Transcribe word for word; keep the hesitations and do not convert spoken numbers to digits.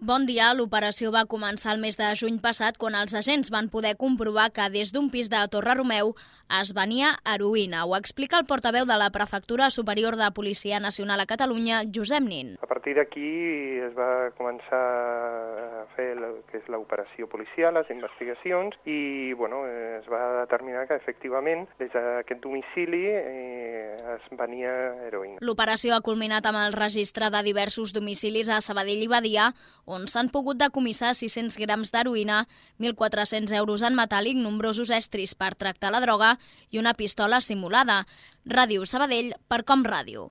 Bon dia. L'operació va començar el mes de juny passat quan els agents van poder comprovar que des d'un pis de Torre-Romeu es venia heroïna. Ho explica el portaveu de la Prefectura Superior de Policia Nacional a Catalunya, Josep Nin. A partir d'aquí es va començar a fer el que és l'operació policial, les investigacions, i bueno, es va determinar que efectivament des d'aquest domicili eh, es venia heroïna. L'operació ha culminat amb el registre de diversos domicilis a Sabadell i Badia, on s'han pogut decomissar sis-cents grams d'heroïna, mil quatre-cents euros en metàl·lic, nombrosos estris per tractar la droga i una pistola simulada. Ràdio Sabadell per Com Ràdio.